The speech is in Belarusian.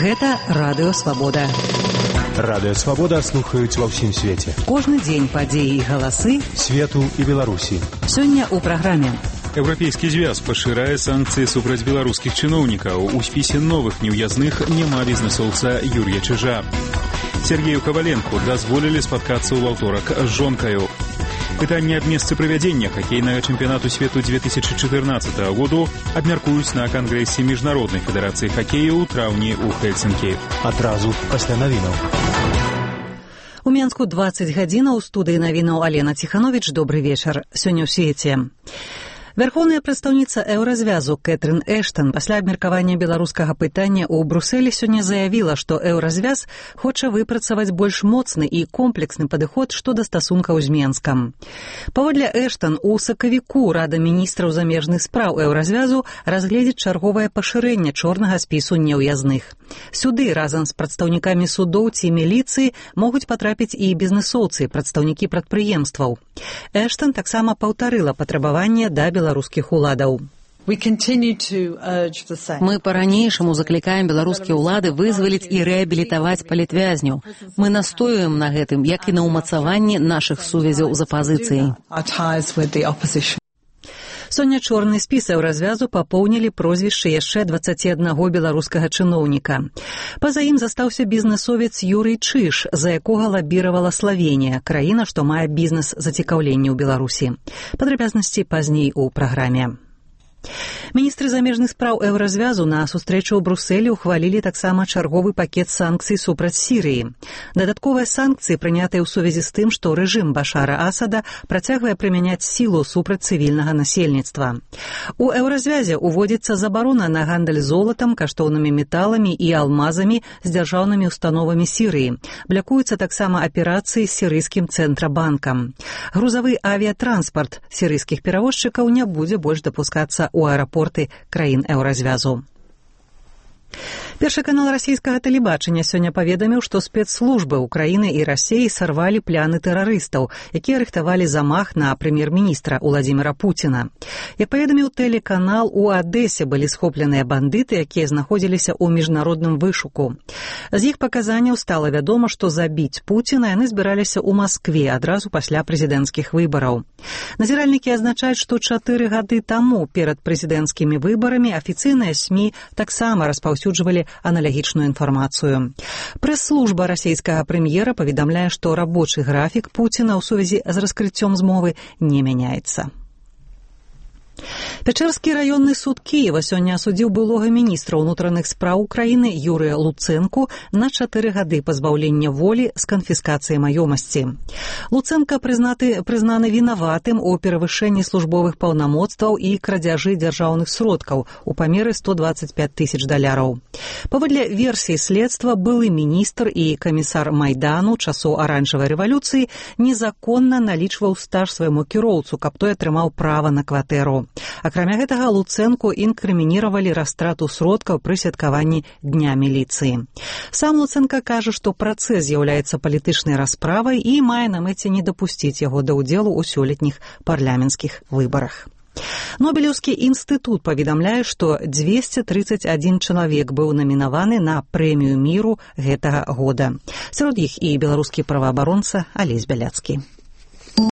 Гэта Радыё Свабода. Радыё Свабода слухаюць ва ўсім свеце. Кожны дзень падзеі і галасы свету і Беларусі. Сёння ў праграме. Еўрапейскі звяз пашырае санкцыі супраць беларускіх чыноўнікаў. У спісе новых неўязных няма бізнэсоўца Юр'я Чижа. Сергею Коваленку дазволілі спаткацца ў аўторак з жонкаю. Пытанне аб месцы правядзення хакейнага чэмпіянату свету 2014 году абмяркуюць на кангрэсе Міжнароднай федэрацыі хакею ў траўні ў Хельсінкі. Адразу пасля навінаў. У Менску 20 гадзінаў, у студыі навінаў Алена Ціхановіч. Добры вечар. Сёння ў свеце. Вярхоўная прадстаўніца Еўразвязу Кэтрын Эштан пасля абмеркавання беларускага пытання ў Брусэлі сёння заявіла, што Еўразвяз хоча выпрацаваць больш моцны і комплексны падыход што да стасункаў з Менскам. Паводле Эштан, у сакавіку Рада міністраў замежных спраў Еўразвязу разгледзіць чарговае пашырэнне чорнага спісу неўязных. Сюды разам з прадстаўнікамі судоў ці міліцыі могуць патрапіць і бізнэсоўцы, прадстаўнікі прадпрыемстваў. Эштан таксама паўтарыла патрабаванне да беларускіх уладаў. Мы па-ранейшаму заклікаем беларускія ўлады вызваліць і рэабілітаваць палітвязняў. Мы настоюем на гэтым, як і на ўмацаванні нашых сувязяў з апазіцыяй. Сёння чорны спіс Еўразвязу папоўнілі прозвішчы яшчэ 21 беларускага чыноўніка. Па-за ім застаўся бізнэсовец Юрый Чиж, за якога лабіравала Славенія, краіна, што мае бізнес-зацікаўленне ў Беларусі. Падрабязнасці пазней у праграме. Міністры замежных спраў Еўразвязу на сустрэчу ў Брусэлі ухвалілі таксама чарговы пакет санкцый супраць Сірыі. Дадатковыя санкцыі прынятыя ў сувязі з тым, што рэжым Башара Асада працягвае прымяняць сілу супраць цывільнага насельніцтва. У Еўразвязе уводзіцца забарона на гандаль золатам, каштоўнымі металамі і алмазамі з дзяржаўнымі установамі Сірыі. Блякуюцца таксама аперацыі з сірыйскім цэнтрабанкам. Грузавы авіятранспарт сірыйскіх перавозчыкаў не будзе больш дапускацца у аэрапорты краін Еўразвязу. Першы канал расійскага тэлебачання сёння паведаміў, што спецслужбы Украіны і Расіі сарвалі пляны тэрарыстаў, якія рыхтавалі замах на прэм'ер-міністра Уладзіміра Пуціна. Як паведаміў тэлеканал, у Адэсе былі схопленыя бандыты, якія знаходзіліся ў міжнародным вышуку. З іх паказанняў стала вядома, што забіць Пуціна яны збіраліся ў Маскве адразу пасля прэзідэнцкіх выбараў. Назіральнікі азначаюць, што 4 гады таму перад прэзідэнцкімі выбарамі афіцыйныя СМІ таксама распаўсюджвалі аналагічную інфармацыю. Прэс-служба расійскага прэм'ера паведамляе, што рабочы графік Пуціна ў сувязі з раскрыццём змовы не мяняецца. Пячэрскі раённы суд Кіева сёння асудзіў былога міністра ўнутраных спраў Украіны Юрыя Луцэнку на 4 гады пазбаўлення волі з канфіскацыяй маёмасці. Луцэнка прызнаны вінаватым у перавышэнні службовых паўнамоцтваў і крадзяжы дзяржаўных сродкаў у памеры $125 000. Паводле версіі следства, былы міністр і камісар Майдану часоў аранжавай рэвалюцыі незаконна налічваў стаж свайму кіроўцу, каб той атрымаў права на кватэру. Акрамя гэтага, Луцэнку інкрымініравалі растрату сродкаў пры святкаванні Дня міліцыі. Сам Луцэнка кажа, што працэс з'яўляецца палітычнай расправай і мае на мэце не дапусціць яго да ўдзелу ў сёлетніх парламенцкіх выбарах. Нобелеўскі інстытут паведамляе, што 231 чалавек быў намінаваны на прэмію міру гэтага года. Сярод іх і беларускі праваабаронца Алесь Бяляцкі.